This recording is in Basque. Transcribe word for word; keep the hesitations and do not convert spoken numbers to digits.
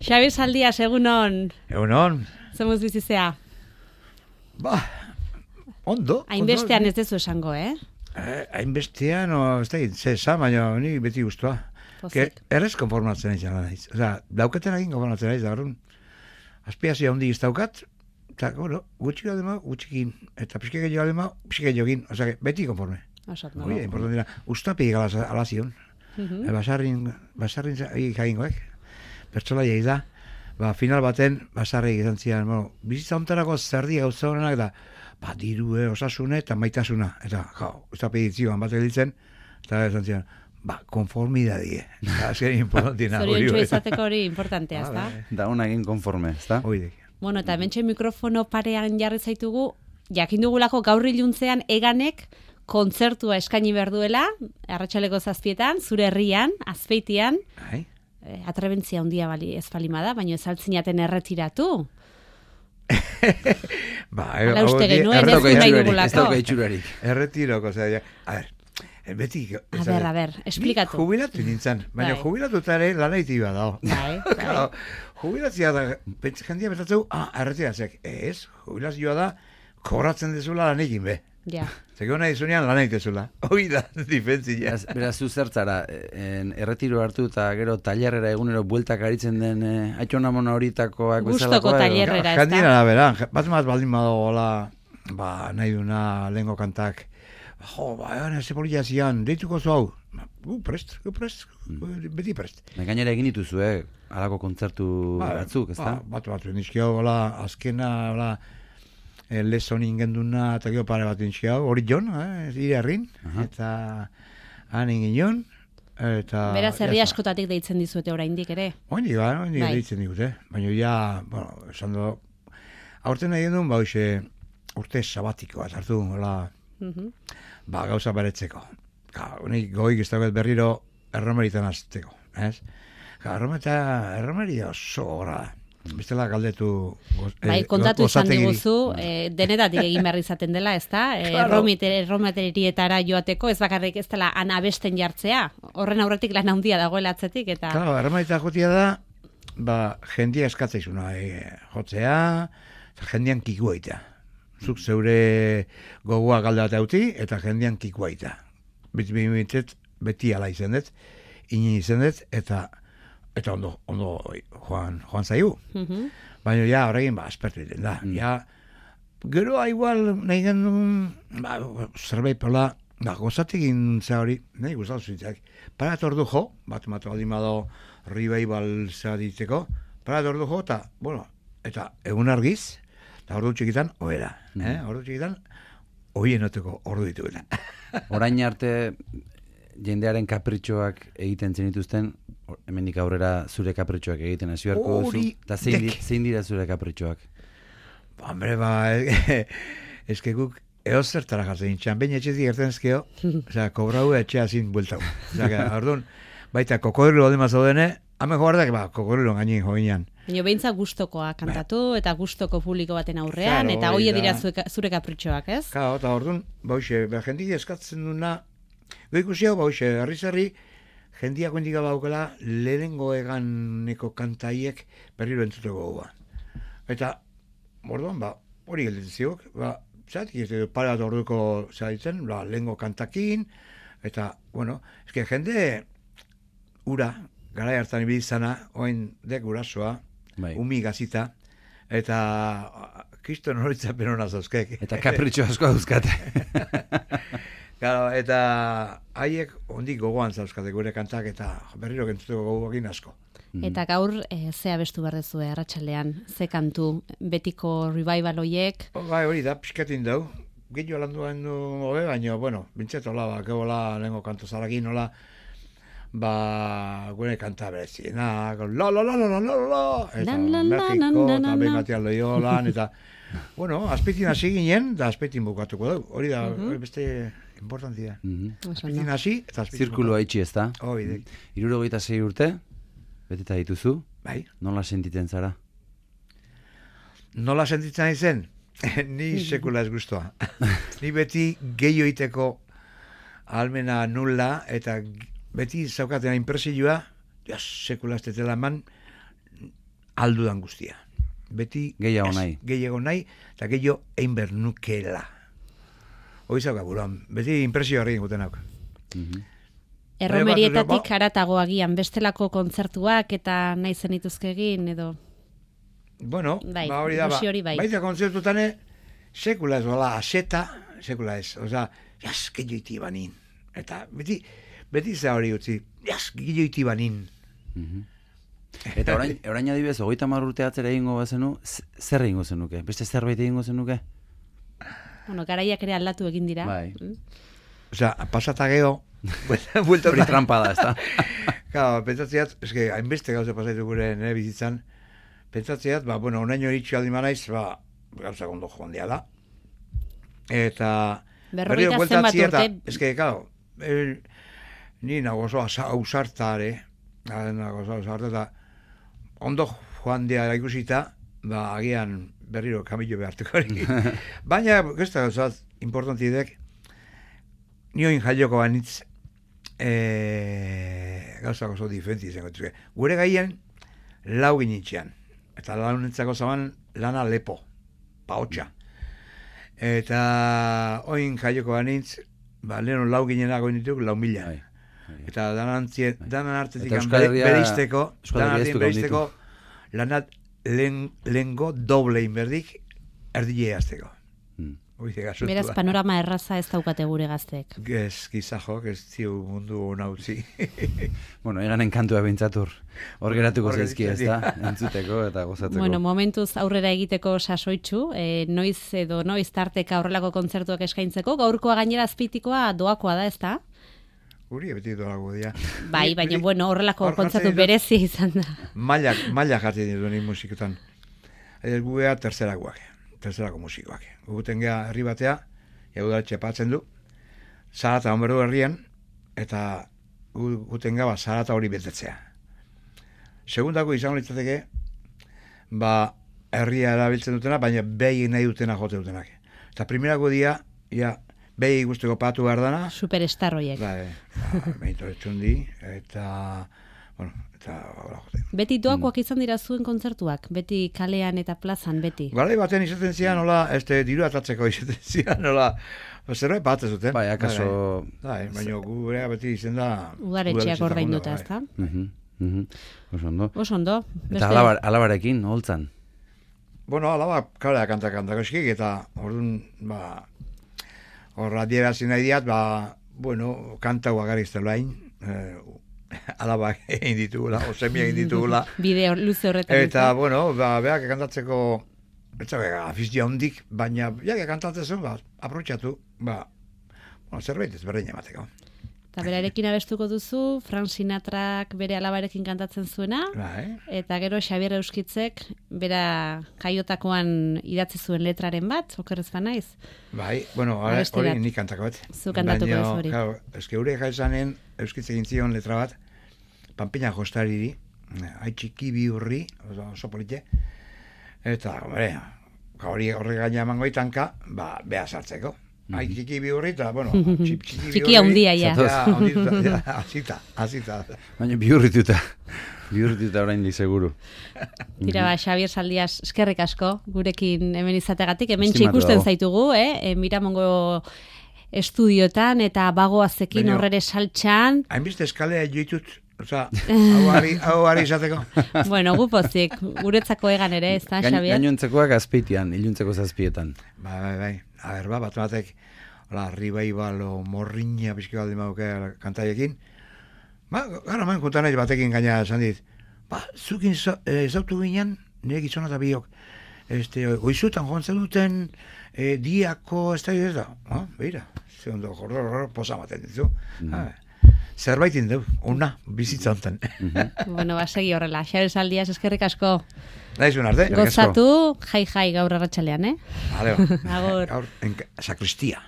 Xabi Saldias, egunon. Egunon. Zemuz bizizea. Ba, ondo. Hainbestean ez dezu esango, eh? eh Hainbestean, o, ez da, zesa, baina ni beti guztua. Pozik. Errez konformatzen nahi zela naiz. Osa, dauketen egin konformatzen nahiz, da garrun. Azpiazia hondi iztaukat, eta, bueno, gutxi gadema, gutxikin. Eta pixke gehiago gadema, pixke gehiagin. Osa, beti konforme. Osat, no? Oie, importantina. Uztapi alazion. Mhm. Basarrin, basarrin jagingoek. Pertsola jaiz da. Ba, final baten, basarri izan zian, bueno, bizitza ontarako zerdi gauza honenak da, ba, dirue, osasune eta maitasuna. Eta, jau, uztapi ditzioan bat editzen, eta izan zian, ba, konformidadie. Eta, azken importantina. Zoriontxo izateko hori importantea, ez da? Da una egin konforme, ez da? Oidek. Bueno, eta hementxe mikrofono parean jarri zaitugu, jakin dugulako gaur iluntzean eganek kontzertua eskaini behar duela, arratsaleko zazpietan, zure herrian, Azpeitian, Ai? eh, atrebentzia handia bali, ez balima da, baina ez altzinaten erretiratu. Ba, Hala uste hauek- genuen, ez erretiro- nahi Ez dugulako. dauka itxurarik. Erretiroko, osea, ja, a ber, eh, beti... A ber, a ber, esplikatu. Ni jubilatu nintzen, baina Bai. jubilatuta ere lanaiti bat dago. Bai, bai. Claro, jubilatzia da, pentsa- jendia betatzeu, ah, erretiratzek. Ez, jubilazioa da, kobratzen dezula lan egin be. Ja. Zego nahi zunean lan egitezula. Hoi da, difentzia. Beraz, beraz zu zertzara, en, erretiro hartu eta gero tailerrera egunero bueltak aritzen den eh, aitxonamona horitakoak Gustoko bezalakoa, edo? tailer- Herrera, ez da? Jendien arabera, bat bat baldin badagoela, ba, nahi duna lehengo kantak, jo, ba, egan, ez polilla zian, deituko zu hau. Gu prest, gu prest, beti prest. Da, gainera egin dituzu, eh? Halako kontzertu batzuk, ez da? Ba, bat bat, nizkio, hola, azkena, hola, eh, lezonin genduna, eta gero pare bat nizkio, hori jon, eh, ire herrin, eta han ingin eta... Beraz, herri ja está. askotatik deitzen dizuete oraindik ere. Oindi, ba, oindi Bai. deitzen digute. Baina ja, bueno, esan du, aurten egin duen, ba, hoxe, urte sabatiko bat hartu, hola, Mhm. ba, gauza beretzeko. Ka, honik goik ez dauket berriro erromeritan azteko, ez? Ka, errometa, erromeria oso gora da. Bestela galdetu... goz- Bai, eh, kontatu izan gozategiri. diguzu, eh, denetatik egin behar izaten dela, ez da? Eh, Claro. errometerietara joateko, ez bakarrik ez dela han abesten jartzea. Horren aurretik lan handia dagoela atzetik, eta... Claro, erromerita jotia da, ba, jendia eskatzaizuna, e, jotzea, eta jendian kikua ita. Zuk zeure gogoa galde bat euti, eta jendian kikua ita. Beti bimitet, beti ala izen dut, inin izen dut, eta eta ondo, ondo joan, joan zaigu. Mhm. Baina ja, horregin, ba, aspertu egiten da. Ja, gero, igual, nahi genuen, ba, zerbait pola, ba, gozatekin za hori, nahi gustatu zitzak. Parat ordu jo, bat matu aldin bado revival za diteko, parat ordu jo, eta, bueno, eta egun argiz, eta ordu txikitan, oera. Eh? Ordu txikitan, oien oteko ordu dituela. Orain arte jendearen kapritxoak egiten zenituzten, or- hemendik aurrera zure kapritxoak egiten hasi beharko duzu. Hori Eta zein, di- dek. zein dira zure kapritxoak? Ba, hombre, ba, eske guk eozertara jatzen txan, baina etxetik gertzen ezkeo, osea, kobrau etxea zin bueltau. Osea, orduan, baita kokodrilo baldin mazaudene, hamen joardak, ba, kokodrilo gainin joinean. Baina beintza gustokoa kantatu, eta gustoko publiko baten aurrean, Claro, eta hori hoie da. dira zure, zure kapritxoak, ez? Claro, eta orduan, ba, hoxe, ba, jendik eskatzen duna, go ikusi hau, ba, hoxe, herri-zerri, jendiak hendik baukela, lehenengo eganeko kantaiek berriro entzuteko gogoa. Eta, orduan, ba, hori gelditzen ziok, ba, zatik ez dut pare bat orduko zaitzen, ba, lehengo kantakin, eta, bueno, eske jende, ura, garai hartan ibili izana, oain dek urasoa, Bai. umi gazita, eta kriston horitzapen hona zauzkek. Eta kapritxo asko dauzkate. Claro, eta haiek ondik gogoan zauzkate gure kantak, eta berriro gentzuteko gogoakin asko. Eta gaur, e, ze abestu behar dezu, arratsaldean, ze kantu, betiko revival hoiek, O, bai, hori da, pixkatin dau. Gehiago landuan du hobe, baina, bueno, bintzet hola, ba, gehola, lehenko kanto zarakin, hola, ba, gure kanta bereziena, la la la la la la la, eta Lan, lan, lan, Mexiko, lan, lan, eta lan. behin batean loiolan, eta, bueno, azpitin hasi ginen, da azpitin bukatuko dugu. Hori da, hori beste importantia. Mhm. oso Azpitin ondo. hasi, eta azpitin Zirkulua itxi, ez da? Hoi, dek. Hirurogeita sei urte, beteta dituzu, Bai. nola sentitzen zara? Nola sentitzen nahi zen? Ni sekula ez guztua. Ni beti gehiago iteko almena nula, eta beti zaukaten inpresioa, ja, sekula ez tetela eman, aldudan guztia. Beti Gehiago nahi. Gehiago nahi, eta gehiago egin bernukela. Hoi zauka buruan, beti impresio harri egiten hauk. Erromerietatik haratago agian, bestelako kontzertuak eta nahi zenituzke egin, edo... Bueno, bai, ba hori da, ba, hori bai. baita kontzertutane, sekula ez, bala, aseta, sekula ez, oza, jas, gehiago banin. Eta beti, beti za hori utzi, jas, gehiago banin. Eta orain, orain adibidez, hogeita hamar urte atzera egingo bazenu, zer egingo zenuke? Beste zerbait egingo zenuke? Bueno, garaiak ere aldatu egin dira. Bai. Oza, pasata geho, buelta Hori trampa da, ez da? Claro, pentsatzeat, eske, hainbeste gauza pasaitu gure nire bizitzan, pentsatzeat, ba, bueno, onaino eritxu aldi manaiz, ba, gauza gondo joan dia da. Eta... Berrogeita berriro zenbat bueltatzi urte... eta, eske, claro, el, ni nago oso ausartare, nago oso ausartare, eta ondo joan dia ikusita, ba, agian berriro kamillo behartuko hori. Baina, gesta gauzat, importantidek, nioin jaioko banitz, e, gauzak oso diferenti izango dituke. Gure gaien, lau ginitzean. Eta launentzako zaban lana lepo, paotxa. Eta oin jaioko banitz, ba, leheno lau ginenago dituk, lau mila. Eta danan, danan artetik bereizteko, danan artetik bereizteko, lanat lehengo doble inberdik erdile azteko. Beraz, panorama erraza ez daukate gure gaztek. Ez, gizajok, ez ziu mundu nautzi. Bueno, eganen kantua bintzatur. Hor geratuko zaizki, ez da? Entzuteko eta gozatzeko. Bueno, momentuz aurrera egiteko sasoitzu, e, noiz edo noiz tarteka horrelako kontzertuak eskaintzeko, gaurkoa gainera azpitikoa doakoa da, ez da? Guri beti doago dira. Bai, baina, bueno, horrelako kontzertu berezi izan da. Mailak, mailak jartzen ditu ni musiketan. Ez gugea tercerakoak, tercerako musikoak. Guguten gea herri batea, jaudara txepatzen du, zarata onberdu herrian, eta guguten gea zarata hori betetzea. Segundako izango litzateke, ba, herria erabiltzen dutena, baina behi nahi dutena jote dutenak. Eta primerako dia, ja, behi guzteko patu behar dana. Superstar horiek. Bai, ba, mehito etxundi, eta, bueno, eta hola jote. Beti doakoak izan dira zuen kontzertuak? Beti kalean eta plazan, beti? Garai baten izaten zian, nola, este, diru atatzeko izaten zian, nola, zerbait bat ez duten. Bai, akaso... Bai, baina gurea beti izen da... Udaretxeak ordainduta, ez da? Oso ondo. Oso ondo. Eta alabar, alabarekin, holtzan? Bueno, alaba, kalea kanta kantako eskik, eta orduan, ba, horra dierazi nahi diat, ba, bueno, kanta guagarizte lain, eh, alabak egin ditugula, osemia egin ditugula. Bideo luze horretan. Eta, bueno, ba, beak kantatzeko, etxabeka, afizia hondik, baina, jak kantatzen zuen, ba, aprotxatu, ba, bueno, zerbait ez berdin emateko. Eta berarekin abestuko duzu, Frank Sinatrak bere alabarekin kantatzen zuena, Bai. eta gero Xabier Euskitzek bera jaiotakoan idatzi zuen letraren bat, okerrez ba naiz? Bai, bueno, hori nik kantako bat. Zu kantatuko ez hori. Claro, eske gure jaizanen Euskitz egin zion letra bat, Panpina Jostariri, haitxiki bi hurri, oso, oso polite, eta, bere, hori horre gaina emango itanka, ba, beha sartzeko. Hai, txiki bi hurri, eta, bueno, txip, txiki bi hurri. Txiki handia, ja. Ja, handituta, azita, azita. Baina bihurrituta, bihurrituta orain di seguru. Tira, ba, Xabier Saldias, eskerrik asko, gurekin hemen izategatik, hemen Estimatu ikusten dago. zaitugu, eh? E, Miramongo estudioetan, eta bagoazekin Baina- horrere saltxan. Hainbeste eskalea joitut, oza, hau ari, hau ari izateko. Bueno, gupozik, guretzako egan ere, ez da, Gain, Xabier? gainontzekoak azpeitian, iluntzeko zazpietan. Bai, bai, bai. A ber, ba, bat batek, hola, ribaibalo, morriña, pixki baldi mauke kantaiekin. Ba, gara man kontan nahi batekin gaina esan dit. Ba, zukin ezautu ginen, nire gizona eta biok. Este, oizutan jontzen duten e, diako, ez da, ez da. Ah, beira, ze ondo, horro, horro, posa maten ditu. Ah, zerbait indeu, ona, bizitza honten. Bueno, ba, segi horrela. Xabier Saldias, eskerrik asko. Naizun arte? Gozatu, jai jai gaur arratsalean, eh? Vale, ba. Agur. Gaur, en, sakristia.